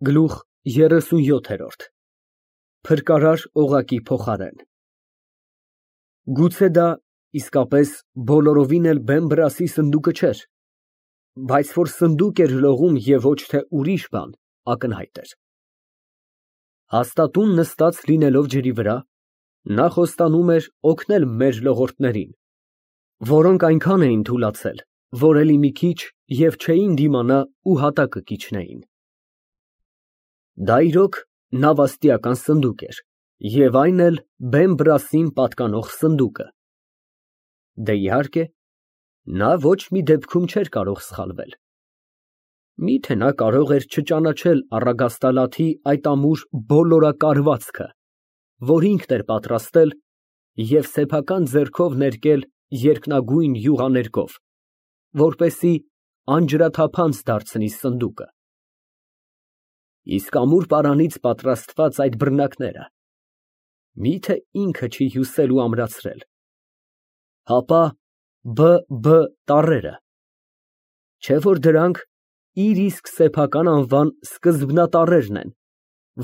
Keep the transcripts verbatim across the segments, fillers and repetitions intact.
Գլուխ երեսունյոթ։ Փրկարար օղակի փոխարեն։ Գուցե դա իսկապես բոլորովին էլ բեն֊բրասի սնդուկը չէր, բայց որ սնդուկ էր լողում և ոչ թե ուրիշ բան, ակնհայտ էր։ Հաստատուն նստած լինելով ջրի վրա, նա խոստանում էր օգնել մեր լողորդներին, որոնք այնքան էին թուլացել, որ էլի մի քիչ և չէին դիմանա ու հատակը կիջնեին։ Դա իրոք նավաստիական սնդուկ էր և այն էլ բեն֊բրասին պատկանող սնդուկը։ Դե, իհարկե, նա ոչ մի դեպքում չէր կարող սխալվել։ Մի՞թե նա կարող էր չճանաչել առագաստալաթի այդ ամուր բոլորակարվածքը, որ ինքն էր պատրաստել և սեփական ձեռքով ներկել երկնագույն յուղաներկով, որպեսզի անջրաթափանց դարձնի սնդուկը։ Իսկ ամուր պարանից պատրաստված այդ բռնակները մի՞թե ինքը չի հյուսել ու ամրացրել, հապա Բ.Բ. տառերը, չէ՞ որ դրանք իր իսկ սեփական անվան սկզբնատառերն են,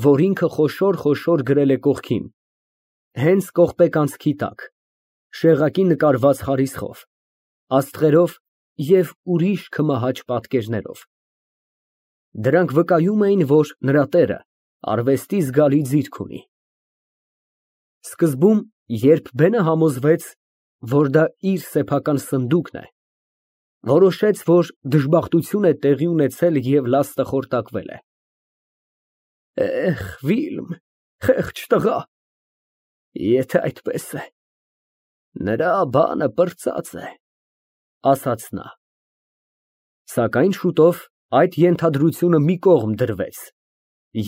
որ ինքը խոշոր֊խոշոր գրել է կողքին, հենց կողպեկանցքի տակ, շեղակի նկարված խարիսխով, աստղերով և ուրիշ քմահաճ պատկերներով։ Դրանք վկայում էին, որ նրա տերը արվեստի զգալի ձիրք ունի։ Սկզբում, երբ բենը համոզվեց, որ դա իր սեփական սնդուկն է, որոշեց, որ դժբախտություն է տեղի ունեցել և լաստը խորտակվել է։ «Էհ, Վիլմ, խեղճ տղա, եթե այդպես է, նրա բանը պրծած է», ֊ ասաց նա։ Սակայն շուտով այդ ենթադրությունը մի կողմ դրվեց,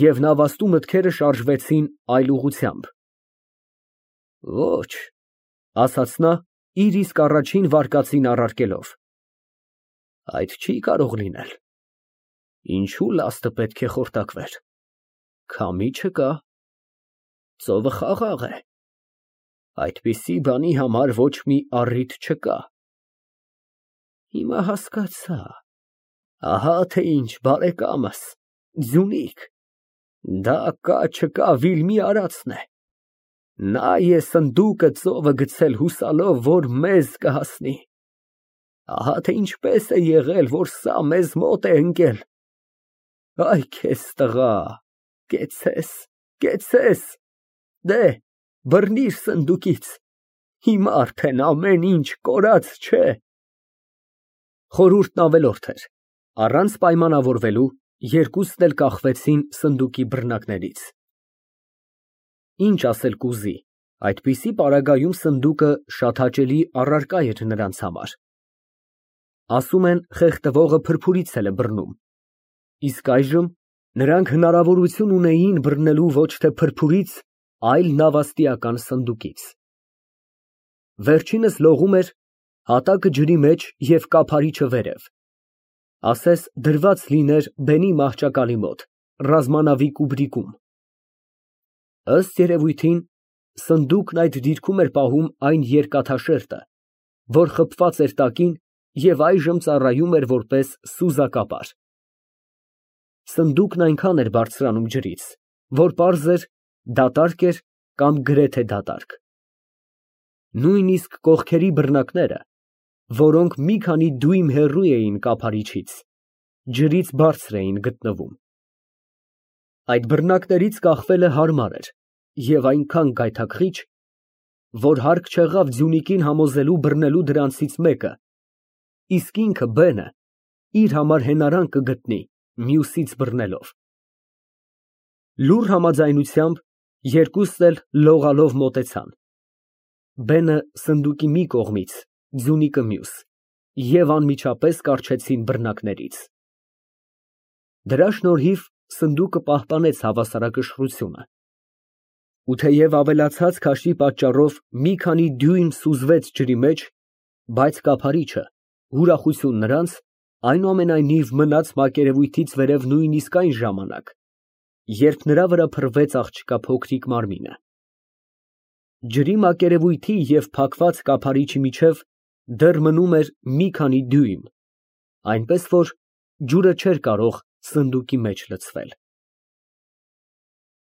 և նավաստու մտքերը շարժվեցին այլ ուղղությամբ։ «Ոչ», ֊ ասաց նա, իր իսկ առաջին վարկածին առարկելով, ֊ այդ չի կարող լինել։ Ինչո՞ւ լաստը պետք է խորտակվեր, քամի չկա, ծովը խաղաղ է, այդպիսի բանի համար ոչ մի առիթ չկա։ Հիմա հասկացա, ահա թե ինչ, բարեկամս, ձյունիկ, դա կա֊չկա Վիլմի արածն է։ Նա է սնդուկը ծովը գցել հուսալով, որ մեզ կհասնի։ Ահա թե ինչպես է եղել, որ սա մեզ մոտ է ընկել։ Այ քեզ տղա, կեցցես, կեցցես, դե, բռնիր սնդուկից, հիմա արդեն ամեն ինչ կորած չէ։ Խորհուրդն ավելորդ էր, առանց պայմանավորվելու երկուսն էլ կախվեցին սնդուկի բռնակներից։ Ինչ ասել կուզի, այդպիսի պարագայում սնդուկը շատ հաճելի առարկա էր նրանց համար։ Ասում են, խեղդվողը փրփուրից էլ է բռնում, իսկ այժմ նրանք հնարավորություն ունեին բռնելու ոչ թե փրփուրից, այլ նավաստիական սնդուկից։ Վերջինս լողում էր հատակը ջրի մեջ և կափարիչը վերև, ասես դրված լիներ բենի մահճակալի մոտ, ռազմանավի կուբրիկում։ Ըստ երևույթին, սնդուկն այդ դիրքում էր պահում այն երկաթաշերտը, որ խփված էր տակին և այժմ ծառայում էր որպես սուզակապար։ Սնդուկն այնքան էր բարձրանում ջրից, որ պարզ էր, դատարկ էր կամ գրեթե դատարկ։ Նույնիսկ կողքերի բռնակները, որոնք մի քանի դույմ հեռու էին կափարիչից, ջրից բարձր էին գտնվում։ Այդ բռնակներից կախվելը հարմար էր և այնքան գայթակղիչ, որ հարկ չեղավ ձյունիկին համոզելու բռնելու դրանցից մեկը, իսկ ինքը բենը իր համար հենարան կգտնի մյուսից բռնելով։ Լուռ համաձայնությամբ երկուսն էլ լողալով մոտեցան։ Բենը սնդուկի մի կողմից, ձյունիկը մյուս, և անմիջապես կառչեցին բռնակներից։ Դրա շնորհիվ սնդուկը պահպանեց հավասարակշռությունը, ու թեև ավելացած քաշի պատճառով մի քանի դյույմ սուզվեց ջրի մեջ, բայց կափարիչը, ուրախություն նրանց, այնուամենայնիվ մնաց մակերևույթից վերև նույնիսկ այն ժամանակ, երբ նրա վրա փռվեց աղջկա փոքրիկ մարմինը։ Ջրի մակերևույթի և փակված կափարիչի միջև դեռ մնում էր մի քանի դյույմ, այնպես որ ջուրը չէր կարող սնդուկի մեջ լցվել։